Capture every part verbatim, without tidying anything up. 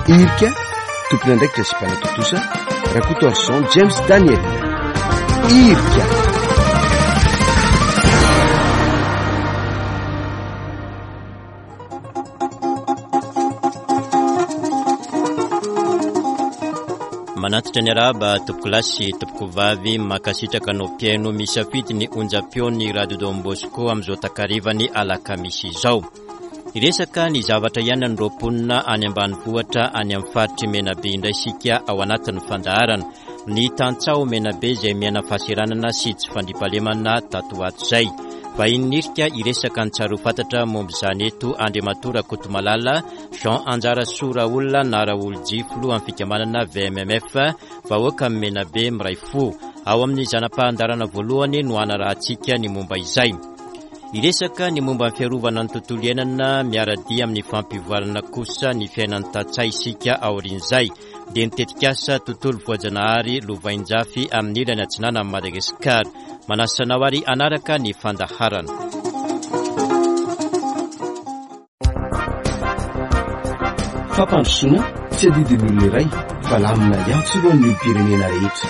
Irika, tompon'andraikitra sy mpanatontosa, Rakotoarison James Daniel. Irika. Manantitra ny arahaba tompokolahy sy tompokovavy, mankasitraka anao mpihaino misafidy ny onjam-peon'ny Radio Don Bosco amin'izao takarivany alakamisy izao. Hiresaka ny zavatra iainan'ireo mponina any ambanivohitra any amin'ny faritry Menabe indray isika ao anatin'ny fandaharana. Ny tantsaha Menabe izay miaina fahasahiranana sy tsy fandriampahalemana tato ho ato izay. Vahiny nirika hiresaka ny tsara ho fantatra momba izany eto Andriamatoa Rakotomalala Jean Anjarasoa Raolona na Raoljy, filohan'ny fikambanana V M M F vahoaka Menabe miray fo. Ao amin'ny zana-pahandarana voalohany no hanarahantsika ny momba izay. Hiresaka ny momba ny fiarovana ny tontolo iainana miara-dia amin'ny fampivoarana kosa ny fiainan'ny tantsaha isika aorian'izay. Dia ny tetikasa tontolo voajanahary lovainjafy amin'ny ilany atsinanan'i Madagasikara. Manasa anao ary hanaraka ny fandaharana. Fampandrosoana tsy adidin'ny olona iray fa lamina iantsorohan'ny olom-pirenena rehetra.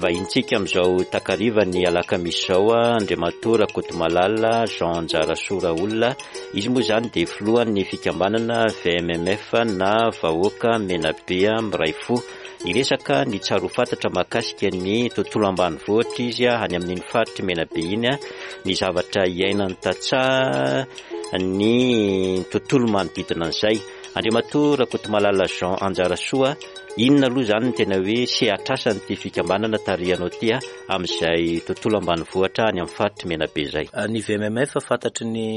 Vahintsika amin'izao takarivany alakamisy izao, Andriamatoa Rakotomalala Jean Anjarasoa Raolona. Izy moa izany dia filohan'ny fikambanana V M M F na Vahoaka Menabe Miray Fo. Hiresaka ny tsara ho fantatra mahakasika ny tontolo ambanivohitra izy any amin'iny faritry Menabe iny, ny zavatra iainan'ny tantsaha, ny tontolo manodidina an'izay. Andriamatoa Rakotomalala Jean Anjarasoa, inona aloha izany ny tena hoe sehatrasan'ity fikambanana tarihanao ity amin'izay tontolo ambanivohitra any amin'ny faritry Menabe izay? Ny V M M F fantatry ny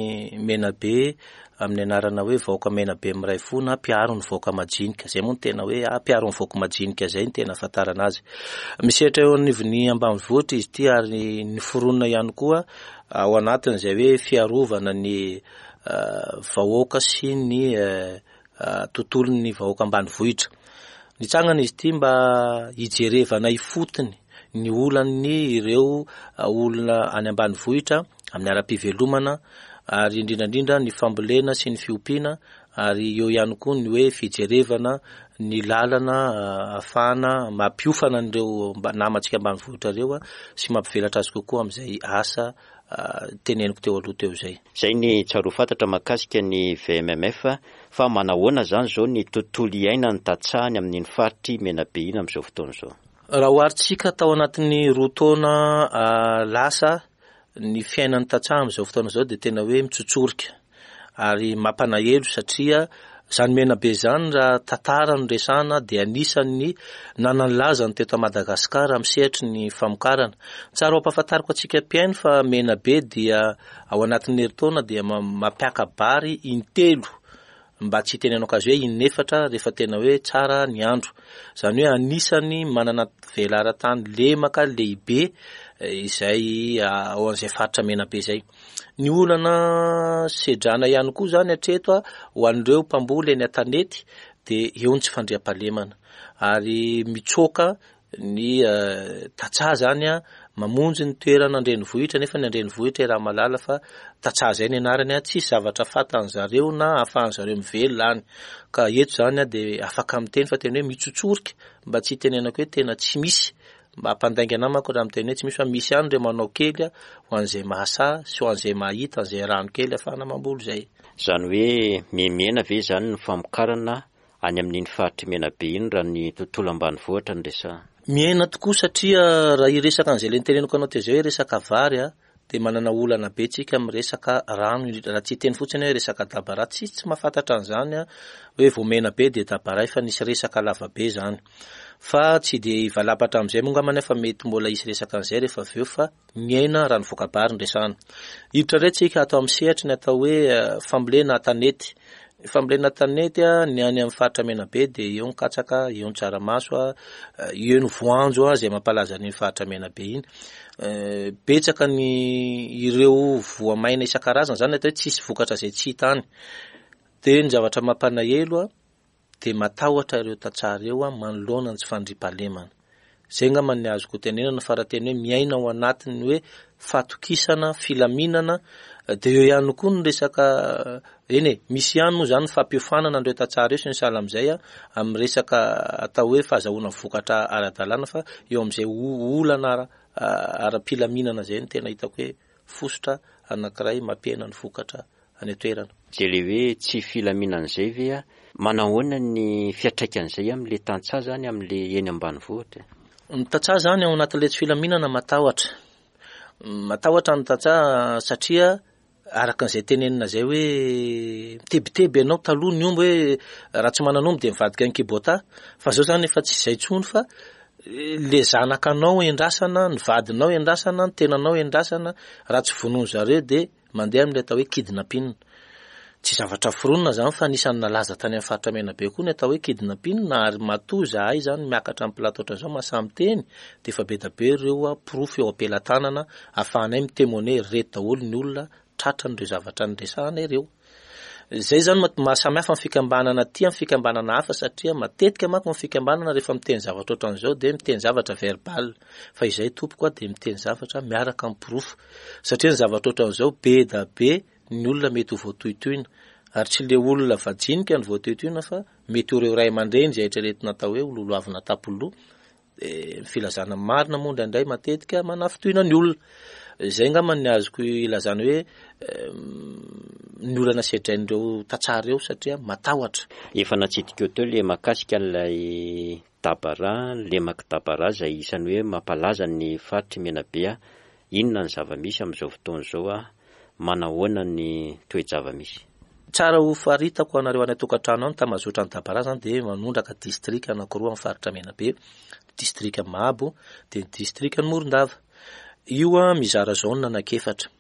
Menabe amin'ny anarana hoe Vahoaka Menabe Miray Fo na Mpiaro ny Vahoaka Majinika. Izay moa no tena hoe, ah, Mpiaro ny Vahoaka Majinika izay no tena ahafantarana azy. Misehatra eo anivon'ny ambanivohitra izy ity ary niforonina ihany koa ao anatin'izay hoe fiarovana ny, eh, vahoaka sy ny, eh, eh, tontolon'ny vahoaka ambanivohitra. Nitsangana izy ity mba hijerevana ifotony ny olan'ny ireo, eh, olona any ambanivohitra amin'ny ara-pivelomana ary indrindra indrindra ny fambolena sy ny fiompiana ary eo ihany koa ny hoe fijerevana ny lalana, eh, ahafahana mampiofana an'ireo mba-, namantsika ambanivohitra ireo, ah, sy mampivelatra azy kokoa amin'izay asa, ah, teneniko teo aloha teo izay. Izay ny tsara ho fantatra mahakasika ny V M M F, fa manahoana izany izao ny tontolo iainan'ny tantsaha any amin'iny faritry Menabe iny amin'izao fotoana izao? Raha oharintsika tao anatin'ny roa taona, ah, lasa, ny fiainan'ny tantsaha amin'izao fotoana izao dia tena hoe mitsotsorika ary mampanahelo satria izany Menabe izany raha tantara no resahana dia anisan'ny nananlaza ny teto Madagasikara amin'ny sehatry ny famokarana. Tsara ho ampahafantariko antsika mpihaino fa Menabe dia ao anatin'ny herintaona dia ma-, mampiaka-bary intelo mba tsy hitenenako azy hoe inefatra rehefa tena hoe tsara ny andro. Izany hoe anisan'ny manana velaran-tany lemaka lehibe, eh, izay, ah, ao amin'izay faritra Menabe izay. Ny olana sedrana ihany koa izany hatreto, ah, ho an'ireo mpamboly eny an-tanety dia eo ny tsy fandriampahalemana ary mitsoaka ny, eh, tantsaha izany, ah, mamonjy ny toerana an-drenivohitra nefa ny an-drenivohitra raha mahalala fa tantsaha izay ny anarany, ah, tsisy zavatra fantany zareo na ahafahan zareo mivelona any. Ka eto izany, ah, dia afaka miteny fa tena hoe mitsotsorika mba tsy hitenenako hoe tena tsy misy, mba hampandainga anah manko raha miteny hoe tsy misy fa misy ihany ireo manao kely, ah, ho an'izay mahasahy sy ho an'izay mahita an'izay rano kely ahafahana mamboly izay. Izany hoe mihemihena ve izany ny famokarana any amin'iny faritry Menabe iny raha ny tontolo ambanivohitra no resahana? Mihena tokoa satria raha hiresaka an'izay le niteneniko anao teo izay hoe resaka vary, ah, dia manana olana be tsika amin'ny resaka rano, indrindra raha tsy hiteny fotsiny hoe resaka dabara, tsisy tsy mahafantatra an'izany, ah, hoe vao Menabe dia dabara efa nisy resaka lavabe izany. Fa tsy dia hivalapatra amin'izay moa angamba nefa mety mbola hisy resaka an'izay rehefa avy eo fa miaina raha ny voka-bary no resahana. Hiditra indray tsika ato amin'ny sehatry ny atao hoe, eh, fambolena an-tanety. Ny fambolena an-tanety, ah, ny any amin'ny faritra Menabe dia eo ny katsaka, eo ny tsaramaso, ah, eo ny voanjo, ah, izay mampalaza ny faritra Menabe iny. Eh, betsaka ny ireo voamaina isan-karazany izany atao hoe tsisy vokatra izay tsy hita any. Dia ny zavatra mampanahelo a, dia matahotra ireo tantsaha ireo a, manoloana ny tsy fandriampahalemana. Izay angamba ny azoko tenenana fa raha tena hoe miaina ao anatin'ny hoe fatokisana, filaminana, dia eo ihany koa ny resaka, eny e, misy ihany moa izany ny fampiofanana an'ireo tantsaha ireo sy ny sahala amin'izay a, amin'ny resaka atao hoe fahazahoana vokatra ara-dalàna, fa eo amin'izay olana ara, ara-pilaminana izay no tena hitako hoe fositra anankiray mampihena ny vokatra any an-toerana. Izay ilay hoe tsy filaminana izay ve a, manahoana ny fiantraikan'izay amin'ilay tantsaha izany, amin'ilay eny ambanivohitra? Ny tantsaha izany ao anatin'ilay tsy filaminana matahotra. Matahotra ny tantsaha satria araka an'izay tenenina izay hoe mitebiteby ianao taloha ny omby hoe raha tsy manana omby dia mivadika ny kibota, fa izao izany efa tsy izay intsony fa le zanakanao endrasana, ny vadinao endrasana, ny tenanao endrasana, raha tsy vonoiny zareo dia mandeha amin'ilay atao hoe kidnapping. Tsy zavatra foronina izany fa anisan'ny nalaza tany amin'ny faritra Menabe koa ny atao hoe kidnapping, ary matoa izahay izany miakatra amin'ny plateau ohatran'izao mahasahy miteny dia efa be dia be ireo porofo eo am-pelatanana ahafahanay mitemoiner ireto daholo ny olona tratran'ireo zavatra niresahana ireo. Izay izany mahasamihafa ny fikambanana aty amin'ny fikambanana hafa, satria matetika manko ny fikambanana rehefa miteny zavatra ohatran'izao dia miteny zavatra verbal, fa izay tompoko a dia miteny zavatra miaraka amin'ny porofo, satria ny zavatra ohatran'izao be dia be ny olona mety ho voatohitohina, ary tsy le olona vajinika no voatohitohina fa mety ho ireo ray aman-dreny izay eritreretina atao hoe lolohavina tampoloha. Ny filazana marina moa indraindray matetika manafintohina ny olona. Izay angamba ny azoko ilazana hoe ny olana sedrain'ireo tantsaha ireo satria matahotra. Efa natsidika eo teo ilay mahakasika an'ilay Dabara, lemaky Dabara izay isan'ny hoe mampalaza ny faritry Menabe. Inona ny zava-misy amin'izao fotoana izao a? Manahoana ny toe-java-misy? Tsara ho faritako anareo any an-tokantrano any, tambazotra ny Dabara zany dia manondraka distrika anankiroa amin'ny faritra Menabe, distrika Mahabo dia ny distrika Morondava. Io a mizara zone anankiefatra.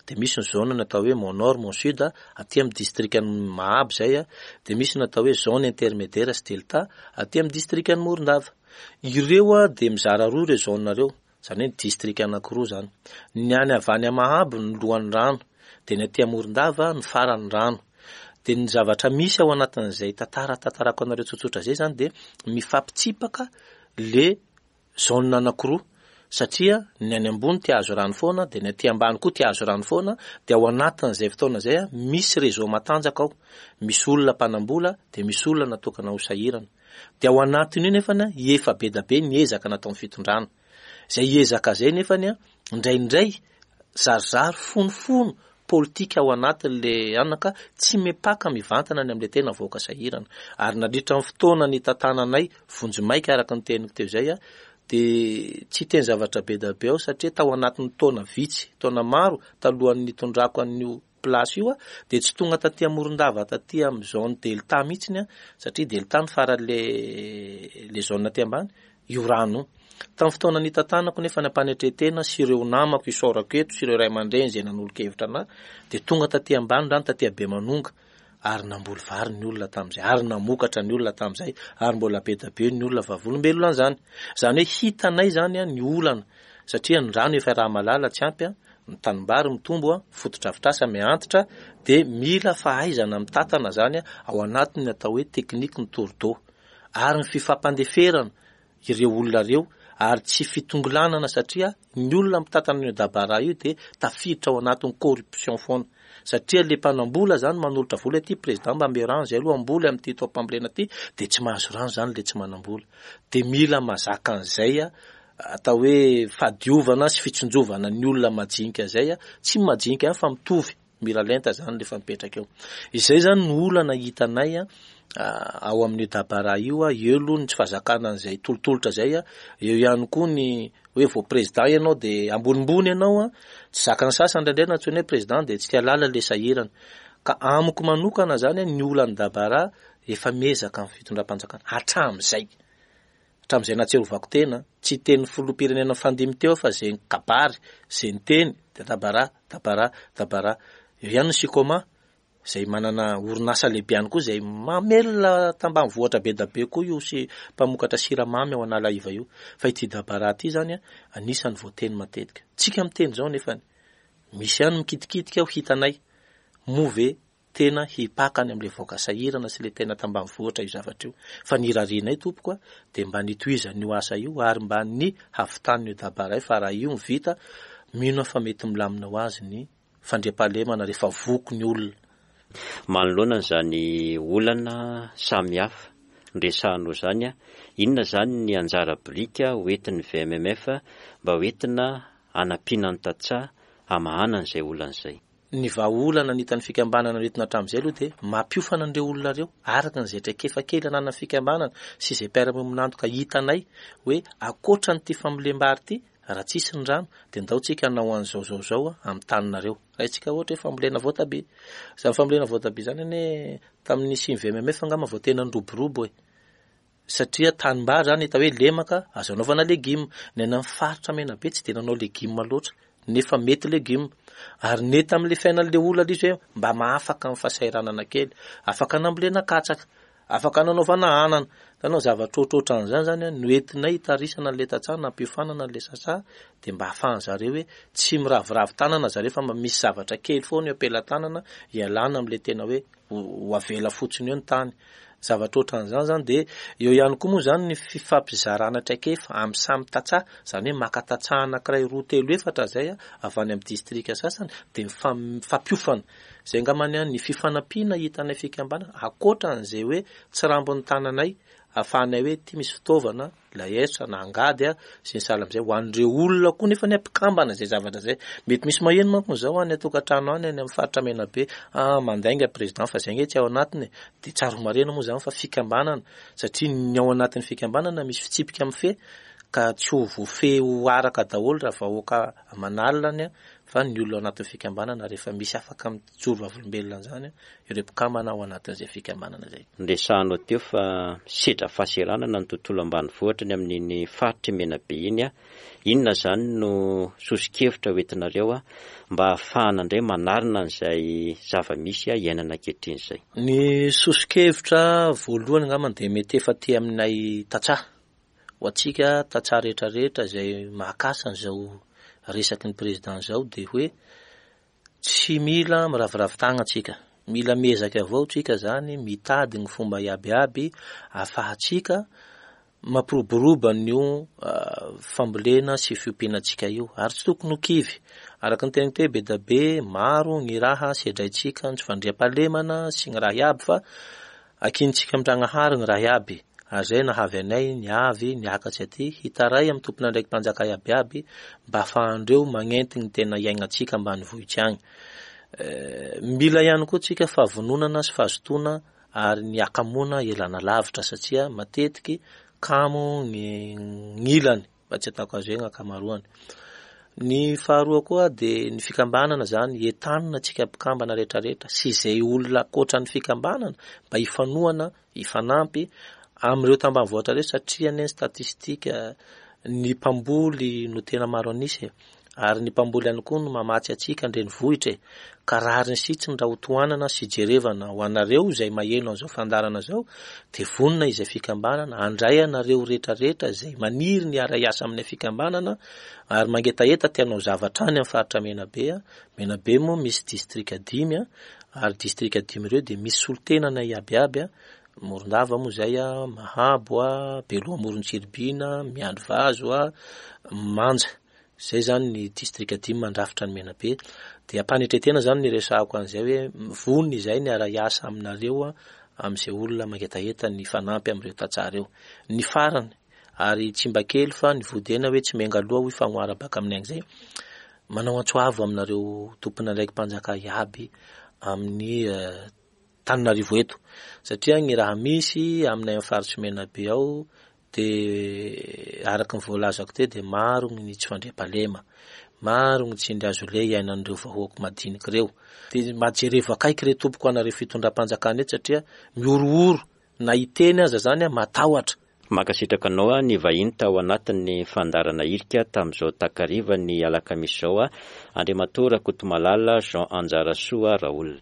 Dia misy ny zone natao hoe Mont Nord, Mont Sud, aty amin'ny distrika Mahabo izay a, dia misy natao hoe zone intermédiaire sy delta aty amin'ny distrika Morondava. Ireo a dia mizara roa ireo zone ireo, izany hoe ny distrika anankiroa izany. Ny any avy any Mahabo ny lohan'ny rano, dia ny aty Morondava ny faran'ny rano. Dia ny zavatra misy ao anatin'izay tantara tantarako anareo tsotsotra izay izany dia mifampitsipaka le zone anankiroa, satria ny any ambony te hahazo rano foana, dia ny aty ambany koa te hahazo rano foana, dia ao anatin'izay fotoana izay a, misy réseau matanjaka ao, misy olona mpanambola, dia misy olona natokana ho sahirana. Dia ao anatin'io nefany a, efa be dia be ny ezaka nataon'ny fitondrana. Izay ezaka izay nefany a, indraindray zarizary fonofono politika ao anatin'le anaka tsy mipaka mivantana any amin'ilay tena vahoaka sahirana. Ary nandritra ny fotoana nitantananay vonjimaika araka ny teniko teo izay a, dia tsy teny zavatra be dia be ao satria tao anatin'ny taona vitsy, taona maro talohan'ny nitondrako an'io place io a, dia tsy tonga taty Morondava taty amin'ny zone delta mihitsiny a, satria delta ny faran'le le zone aty ambany io rano. Tamin'ny fotoana nitantanako nefa nampanetren-tena sy ireo namako isaorako eto sy ireo ray aman-dreny izay nanolo-kevitra anahy, dia tonga taty ambany rano taty Bemanonga, ary namboly vary ny olona tamin'izay, ary namokatra ny olona tamin'izay, ary mbola be dia be ny olona vavolombelona an'izany. Izany hoe hitanay izany a ny olana, satria ny rano efa raha malala tsy ampy a, ny tanimbary mitombo a, fotodrafitrasa miantitra, dia mila fahaizana mitantana izany a, ao anatin'ny atao hoe tekniky ny tordo, ary ny fifampandeferana ireo olona ireo, ary tsy fitongolanana satria ny olona mitantana an'io Dabara io dia tafiditra ao anatin'ny corruption foana, satria le mpanambola zany manolotra vola ity président mba ame rano zay aloha amboly amin'ity taom-pambolena ity, dia tsy mahazo rano zany le tsy manambola. Dia mila mazaka an'izay a, atao hoe fahadiovana sy fitsinjovana ny olona majinika zay a, tsy majinika ihany fa mitovy miralenta zany rehefa mipetraka eo. Izay zany no olana hitanay a, ao amin'io Dabara io a, eo aloha ny tsy fahazakana an'izay tolotolotra zay a, eo ihany koa ny hoe vao président ianao dia ambonimbony ianao a, tsy zakan'ny sasany indraindray na antsoina hoe président dia tsy tia lala le sahirana. Ka amiko manokana zany a, ny olan'ny Dabara efa miezaka amin'ny fitondram-panjakana hatramin'izay. Hatramin'izay nahatsiarovako tena, tsy teny filoham-pirenena fandimy teo fa izay kabary, izay niteny dia Dabara, Dabara, Dabara. Eo ihany ny Sicoma izay manana orinasa lehibe ihany koa izay mamelona tambanivohitra be dia be koa io sy mpamokatra siramamy ao Analaiva io. Fa ity Dabara ity zany a, anisan'ny voateny matetika. Tsika miteny izao nefany misy ihany mikitikitika ho hitanay, moa ve tena hipaka any amin'ilay vahoaka sahirana sy ilay tena tambanivohitra io zavatra io. Fa ny irarianay tompoko a, dia mba nitohizan'io asa io ary mba ny havitan'io dabaray, fa raha io no vita, mino aho fa mety milamina ho azy ny fandriampahalemana rehefa voky ny olona. Manoloana izany olana samihafa noresahanao izany, inona izany ny anjara biriky hoentin'ny V M M F mba hoentina hanampiana ny tantsaha hamahana an'izay olana izay? Ny vahaolana ny hitan'ny fikambanana noentina hatramin'izay aloha dia mampiofana an'ireo olona ireo araka an'izay traikefa kely ananan'ny fikambanana sy izay mpiara-miombon'antoka hitanay hoe ankoatra an'ity fambolem-bary ity, raha tsisy ny rano dia ndao tsika hanao an'izao zao zao amin'ny taninareo. Raha ohatra hoe fambolena voatabia, izany fambolena voatabia izany anie tamin'ny nisian'ny V M M F angamba vao tena niroborobo e. Satria tanimbary izany hita hoe lemaka azo anaovana legioma. Ny any amin'ny faritra Menabe tsy dia nanao legioma loatra, nefa mety legioma. Ary nety amin'ilay fiainan'ilay olona ilay izy hoe mba mahafaka amin'ny fahasahiranana kely, afaka nambolena katsaka, afaka nanaovana anana. Hitanao, zavatra ohatrohatran'izany zany no entinay hitarisana an'ilay tantsaha, nampiofanana an'ilay sasa, dia mba ahafahan zareo hoe tsy miraviravy tanana zareo fa mba misy zavatra kely foana eo am-pelatanana hialana amin'ilay tena hoe ho, ho avela fotsiny eo ny tany. Zavatra ohatran'izany zany dia eo ihany koa moa zany ny fifampizarana traikefa amin'ny samy tantsaha, izany hoe maka tantsaha anankiray roa telo efatra izay a, avy any amin'ny distrika sasany dia mifam-, mifampiofana. Izay angambany a, ny fifanampiana hitanay fikambanana ankoatran'izay hoe tsy rambon'ny tananay ahafahanay hoe ity misy fitaovana laestra na angady a, sy ny sahala amin'izay ho an'ireo olona koa nefa ny mpikambana izay zavatra izay. Mety misy maheno manko izao any an-tokantrano any, any amin'ny faritra Menabe, ah, mandainga président fa izay nge tsy ao anatiny. Dia tsara ho marihina moa izany fa fikambanana, satria ny ao anatin'ny fikambanana misy fitsipika mifehy ka tsy ho voafehy ho araka daholo raha vahoaka aman'alina any, fa ny olona ao anatin'ny fikambanana rehefa misy afaka mijoro vavolombelona an'izany, ireo mpikambana ao anatin'izay fikambanana izay. Noresahanao teo fa sedra fahasahiranana ny tontolo ambanivohitra ny amin'iny faritry Menabe iny a. Inona izany no soso-kevitra hoentinareo a, mba ahafahana indray manarina an'izay zava-misy a iainana ankehitriny izay? Ny soso-kevitra voalohany angamba dia mety efa aty aminay tantsaha. Ho antsika tantsaha rehetrarehetra izay mahakasa an'izao resaky ny président izao dia hoe tsy mila miraviravy tagna antsika, mila miezaka avao tsika zany mitady ny fomba iabiaby ahafahantsika mampiroborobo an'io, ah, fambolena sy fiompiana antsika io, ary tsy tokony ho kivy. Araka ny teniko teo, be dia be maro ny raha sedraintsika, ny tsy fandriampahalemana sy ny raha iaby, fa akintsika mitragnahary ny raha iaby. Ary izay nahavy anay niavy niakatsy aty hitaray amin'ny tompon'andraiki-mpanjaka iabiaby mba ahafahandreo magnenty ny tena iainantsika ambanivohitra agny. Eh, mila ihany koa tsika fahavononana sy fahazotoana ary ny hakamoana elana lavitra, satria matetiky kamo ny gn'ilany mba tsy ataoko azo hoe ankamaroany. Ny faharoa koa dia ny fikambanana zany, entanina tsika mpikambana rehetrarehetra sy izay olona ankoatra ny fikambanana mba hifanohana, hifanampy amin'ireo tambanivohitra ireo, satria anie ny statistika ny mpamboly no tena maro an'isa e. Ary ny mpamboly ihany koa no mamatsy antsika an-drenivohitra e. Ka rariny sitsiny raha ho tohanana sy jerevana ho anareo izay maheno an'izao fandaharana izao, dia vonona izay fikambanana handray anareo rehetrarehetra izay maniry ny hiara-hiasa amin'ny fikambanana ary mangetaheta te hanao zavatra any amin'ny faritra Menabe a. Menabe moa misy distrika dimy a, ary distrika dimy ireo dia misy solontenana iabiaby a. Morondava moa izay a, Mahabo a, Beloha Amoron-Tsiribihina, Miandrivazo a, Manja. Izay zany ny distrika dimy mandrafitra ny Menabe. Dia ampanetretena zany ny resahako an'izay hoe vonona izay ny hiara-hiasa aminareo a, amin'izay olona mangetaheta ny fanampy amin'ireo tantsaha ireo. Ny farany, ary tsy mba kely fa ny vodena hoe tsy miainga aloha hoy fagnohara baka amin'ny an'izay. Manao antso avo aminareo tompon'andraiki-mpanjaka iaby amin'ny, eh, Tananarivo eto, satria ny raha misy aminay amin'ny faritry Menabe ao dia araka ny voalazako teo dia maro ny tsy fandriampahalema, maro ny tsindry azo le iainan'ireo vahoaka madinika ireo. Dia mba jerevo akaiky re tompoko anareo fitondram-panjakana eto, satria mihorohoro na hiteny aza zany a, matahotra. Mankasitraka anao a, ny vahiny tao anatin'ny fandaharana irika tamin'izao takariva ny alakamisy izao a, Andriamatoa Rakotomalala Jean Anjarasoa Raoul.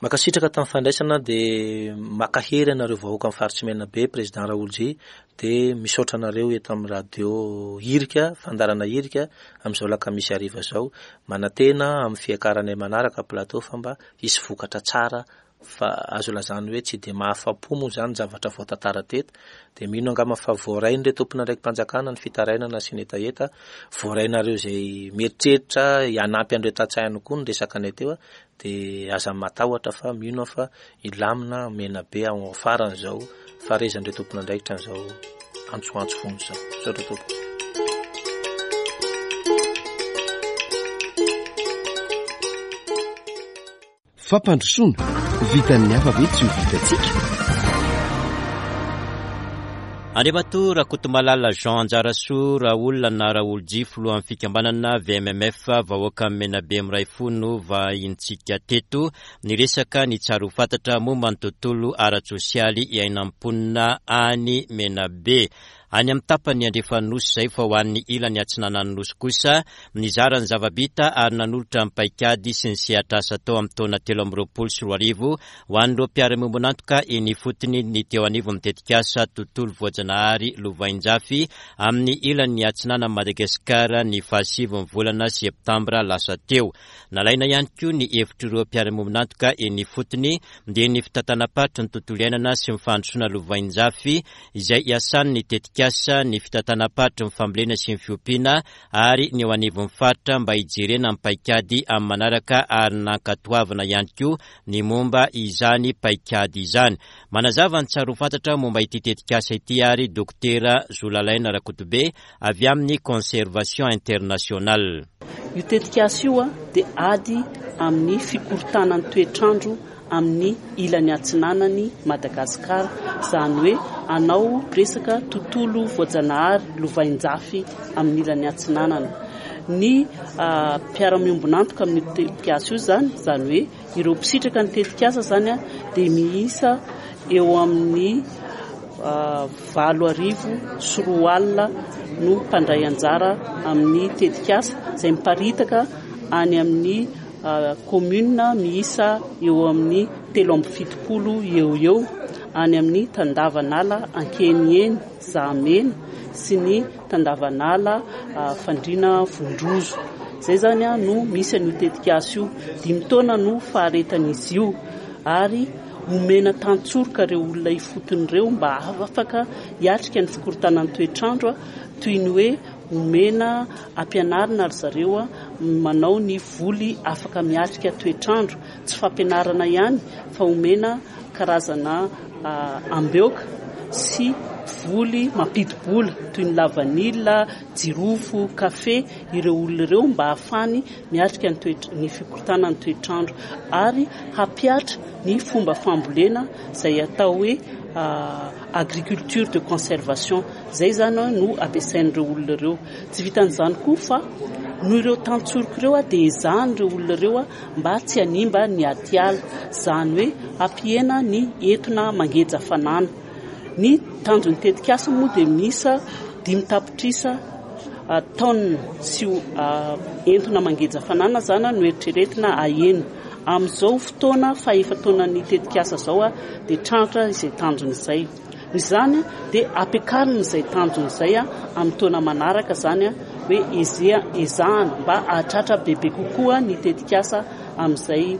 Mankasitraka tamin'ny fandraisana, dia mankahery anareo vahoaka amin'ny faritsy Menabe, Président Raoljy, dia misaotra anareo eto amin'ny radio Irika, fandaharana Irika, amin'izao alakamisy hariva izao. Manantena amin'ny fiakaranay manaraka plateau fa mba hisy vokatra tsara, fa azo lazana hoe tsy dia mahafa-po moa izany zavatra voatantara teto. Dia mino angamba fa voarain'ireo tompon'andraiki-panjakana ny fitarainana sy ny hetaheta, voarainareo izay mieritreritra hanampy an'ireo tantsaha ihany koa ny resaka anay teo, dia aza matahotra fa mino aho fa hilamina Menabe ao afaran'izao fahareizan'ireo tompon'andraikitra an'izao antsoantso vonjy izao. Misaotra tompoko. Fampandrosoana vitan'ny hafa ve tsy ho vitantsika? Andriamatoa Rakotomalala Jean Anjarasoa Raolona na Raoljy, filohan'ny fikambanana V M M F vahoaka Menabe miray fo no vahintsika teto niresaka ny tsara ho fantatra momba ny tontolo ara-tsosialy iainan'ny mponina any Menabe. Any amin'ny tapany andrefan'ny nosy izay, fa ho an'ny ilany atsinanan'ny nosy kosa nizara ny zava-bita ary nanolotra ny paikady sy ny sehatra asa tao amin'ny taona telo amby roapolo sy roa arivo ho an'ireo mpiara-miombon'antoka eny ifotony ny teo anivon'ny tetikasa tontolo voajanahary Lovainjafy amin'ny ilany atsinanan'i Madagasikara ny fahasivy volana septambra lasa teo. Nalaina ihany koa ny hevitr'ireo mpiara-miombon'antoka eny ifotony dia ny fitantanam-paritry ny tontolo iainana sy ny fandrosoana Lovainjafy izay iasan'ny tetikasa ny fitantanam-paritry ny fambolena sy ny fiompiana ary ny eo anivon'ny faritra mba hijerena ny paikady amin'ny manaraka ary nankatoavina ihany koa ny momba izany paikady izany. Manazava ny tsara ho fantatra momba ity tetikasa ity ary Dokotera Zolalaina Rakotobe avy amin'ny Conservation Internationale. Io tetikasa io dia ady amin'ny fikorontanan'ny toetrandro amin'ny ilany atsinanany Madagasikara, izany hoe anao resaka tontolo voajanahary Lovainjafy amin'ny ilany atsinanana. Ny mpiara-miombon'antoka amin'ny tetikasa io izany, izany hoe ireo mpisitraka ny tetikasa izany dia miisa eo amin'ny valo arivo sy roa alina no mpandray anjara amin'ny tetikasa izay miparitaka any amin'ny commune miisa eo amin'ny telo amby fitopolo eo eo any amin'ny tandavanala Ankeniheny Zahamena sy ny tandavanala Fandriana Vondrozo. Izay izany no misy an'io tetikasa io. Dimy taona no faharetan'izy io ary omena tantsoroka ireo olona ifotony ireo mba afaka hiatrika ny fikorontanan'ny toetrandro, toy ny hoe omena ampianarina ry zareo manao ny voly afaka miatrika toetrandro. Tsy fampianarana ihany fa omena karazana ambeoka sy voly mampidi-bola toy ny lavanila, jirofo, kafe ireo olona ireo mba ahafahany miatrika ny toetra, ny fikorontanan'ny toetrandro ary hampiatra ny fomba fambolena izay atao hoe agriculture de conservation. Izay izany no ampiasain'ireo olona ireo. Tsy vitan'izany koa fa noho ireo tantsoroka ireo dia ezahan'ireo olona ireo mba tsy hanimba ny atiala, izany hoe hampihena ny entona mangeja fanana. Ny tanjon'ny tetikasa moa dia miisa dimy tapitrisa taonina sy entona mangeja fanana izany no eritreretina ahena. Amin'izao fotoana fahefa-taonan'ny tetikasa izao dia tratra izay tanjona izay. Izany dia ampiakarina izay tanjona izay amin'ny taona manaraka, izany hoe ezahana mba hahatratra bebe kokoa ny tetikasa amin'izay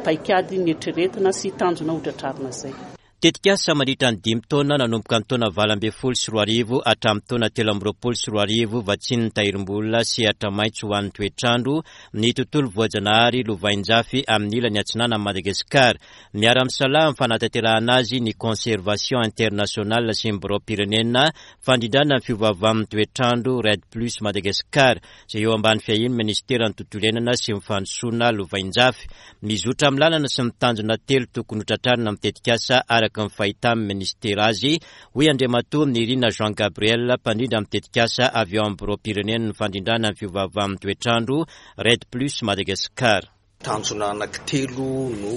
paikady neritreretina sy tanjona hotratrarina izay. Tetikasa mandritra ny dimy taona nanomboka ny taona valo ambin'ny folo sy roa arivo hatramin'ny taona telo amby roapolo sy roa arivo vatsian'ny tahirim-bola sehatra maitso ho an'ny toetrandro ny tontolo voajanahary Lovainjafy amin'ny ilany atsinanan'i Madagasikara. Miara-misalahy amin'ny fanatanterahana azy ny Conservation Internationale sy ny Birao-pirenena fandrindrana ny fiovaovan'ny toetrandro REDD Plus Madagasikara izay eo ambany fiahian'ny Ministeran'ny tontolo iainana sy ny fandrosoana Lovainjafy. Mizotra amin'ny lalana sy ny tanjona telo tokony hotratrarina amin'ny tetikasa araka ny fahitan'ny ministera azy, hoy Andriamatoa Nirina Jean Gabriel, mpandrindra amin'ny tetikasa avy eo amin'ny Birao-pirenen'ny fandrindrana ny fiovaovan'ny toetrandro REDD Plus Madagasikara. Tanjona anankitelo no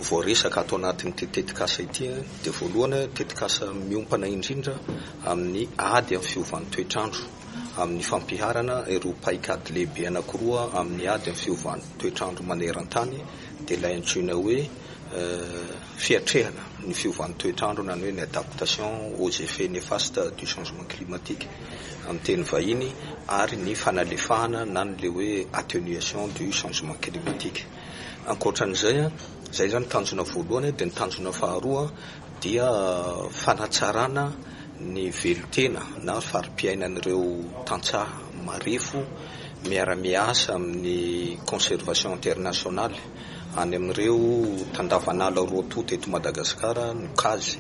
voaresaka ato anatin'ity tetikasa ity. Dia voalohany, tetikasa miompana indrindra amin'ny ady amin'ny fiovan'ny toetrandro, amin'ny fampiharana ireo paikady lehibe anankiroa amin'ny ady amin'ny fiovan'ny toetrandro maneran-tany, dia ilay antsoina hoe fiatrehana ny fiovan'ny toetrandro na ny hoe ny adaptation aux effets néfastes du changement climatique amin'ny teny vahiny, ary ny fanalefahana na ny le hoe atténuation du changement climatique. Ankoatran'izay, zay zany tanjona voalohany. Dia ny tanjona faharoa dia fanatsarana ny velotena na fari-piainan'ireo tantsaha marefo miara-miasa amin'ny Conservation Internationale any amin'ireo tandavanala roa tonta eto Madagasikara, ny CAZ,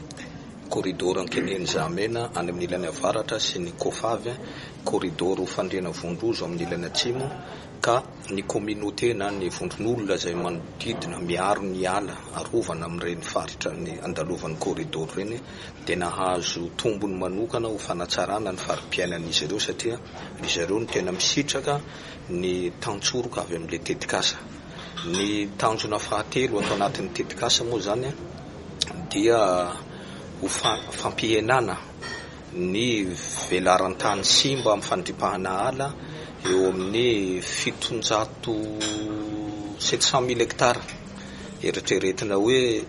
corridor Ankeniheny Zahamena any amin'ny ilany avaratra, sy ny COFAVY, corridor Fandriana Vondrozo amin'ny ilany atsimo, ka ny communauté na ny vondron'olona izay manodidina miaro ny ala arovana amin'ireny faritra ny andalovan'ny corridor ireny dia nahazo tombony manokana ho fanatsarana ny fari-piainan'izy ireo, satria izy ireo no tena misitraka ny tantsoroka avy amin'ilay tetikasa. Ny tanjona fahatelo atao anatin'ny tetikasa moa zany dia ho fampihenana ny velaran-tany simba amin'ny fandripahana ala eo amin'ny fitonjato sept cent mille hectares, eritreretina hoe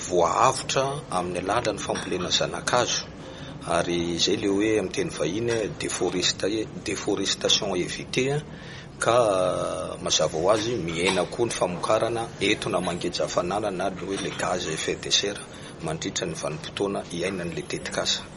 voaavotra amin'ny alalan'ny fambolena zanakazo, ary izay le hoe amin'ny teny vahiny déforestation évitée, ka mazava ho azy mihena koa ny famokarana etona mangeja hafanana na le hoe le gaz à effet de serre mandritra ny vanim-potoana iainan'le tetikasa.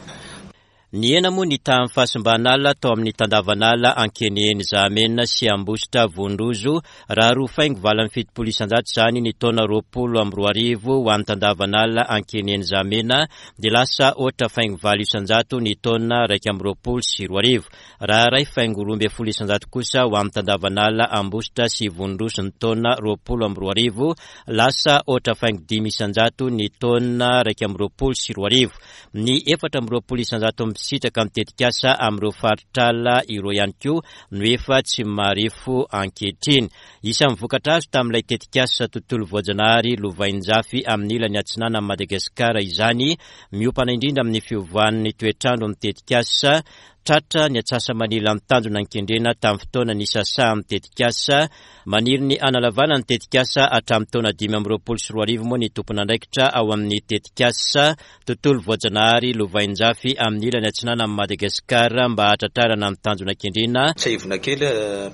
Nihena moa ny tahan'ny fahasimban'ala tao amin'ny tandavanala Ankeniheny Zahamena sy Ambositra Vondrozo, raha roa faingo valo amby fitopolo isanjato izany ny taona roapolo amby roa arivo ho an'ny tandavanala Ankeniheny Zahamena, dia lasa ohatra faingo valo isanjato ny taona iraika amby roapolo sy roa arivo, raha iray faingo roa ambin'ny folo isanjato kosa ho an'ny tandavanala Ambositra sy Vondrozo ny taona roapolo amby roa arivo, lasa ohatra faingo dimy isanjato ny taona iraika amby roapolo sy roa arivo. Ny efatra amby roapolo isanjato misitraka amin'ny tetikasa amin'ireo faritrala ireo ihany koa no efa tsy marefo ankehitriny. Isan'ny vokatra azo tamin'ilay tetikasa tontolo voajanahary lovainjafy amin'ny ilany atsinanan'i Madagasikara izany, miompana indrindra amin'ny fiovan'ny toetrandro amin'ny tetikasa. Tratra ny atsasa-manila ny tanjona nikendrena tamin'ny fotoana nisasahan'ny tetikasa. Maniry ny hanalavana ny tetikasa hatramin'ny taona dimy amby roapolo sy roa arivo moa ny tompon'andraikitra ao amin'ny tetikasa tontolo voajanahary lovainjafy amin'ny ilany atsinanan'i Madagasikara mba hahatratrarana ny tanjona kendrena. Tsiahivina kely,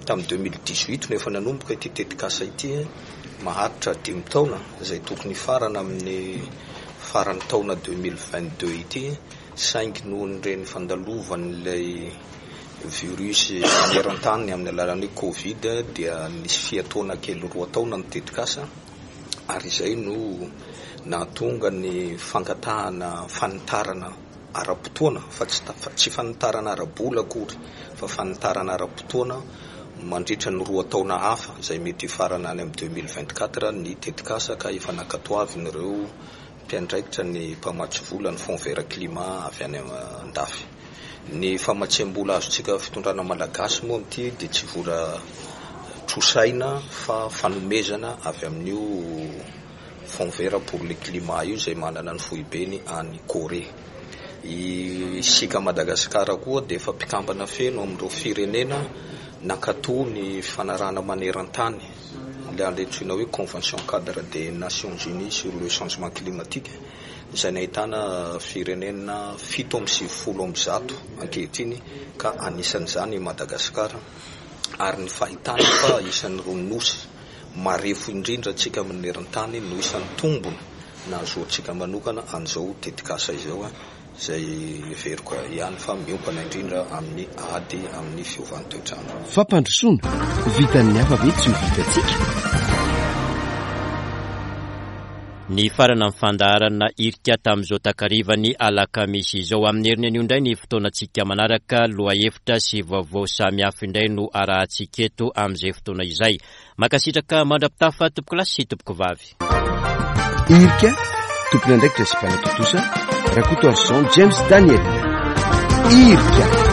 tamin'ny deux mille dix-huit no efa nanomboka ity tetikasa ity, maharitra dimy taona izay tokony hifarana amin'ny faran'ny taona deux mille vingt-deux ity, saingy noho ireny fandalovan'ilay virus maneran-tany amin'ny alalan'ny Covid dia nisy fiatoana kely roa taona ny tetikasa, ary izay no nahatonga ny fangatahana fanitarana ara-potoana, fa tsy ta-, fa tsy fanitarana ara-bola akory, fa fanitarana ara-potoana mandritra ny roa taona hafa izay mety hifarana any amin'ny deux mille vingt-quatre ny tetikasa, ka efa nankatoavin'ireo mpiandraikitra ny mpamatsy vola ny Fonds vert climat avy any an-dafy. Ny famatsiam-bola azontsika fitondrana malagasy moa amin'ity dia tsy vola trosaina fa fanomezana avy amin'io Fonds vert pour le climat io izay manana ny foibeny any Corée. Isika Madagasikara koa dia efa mpikambana feno amin'ireo firenena nankatò ny fifanarahana maneran-tany, ilay antsoina hoe Convention cadre des Nations Unies sur le changement climatique, izay nahitana firenena fito amby sivifolo amby zato ankehitriny, ka anisan'izany i Madagasikara, ary ny fahitana fa isan'ireo nosy marefo indrindra antsika maneran-tany no isan'ny tombony nahazoantsika manokana an'izao tetikasa izao, izay heveriko ihany fa miompana indrindra amin'ny ady amin'ny fiovan'ny toetrandro. Fampandrosoana vitan'ny hafa ve tsy ho vitantsika? Ny farana ny fandaharana irika tamin'izao takarivany alakamisy izao. Amin'ny heriny anio indray ny fotoanantsika manaraka, lohahevitra sy vaovao samihafa indray no arahantsika eto amin'izay fotoana izay. Mankasitraka mandra-pitafa tompokolahy sy tompokovavy. Irika, tompon'andraikitra sy mpanatontosa, Rakotoarison James Daniel. Irika.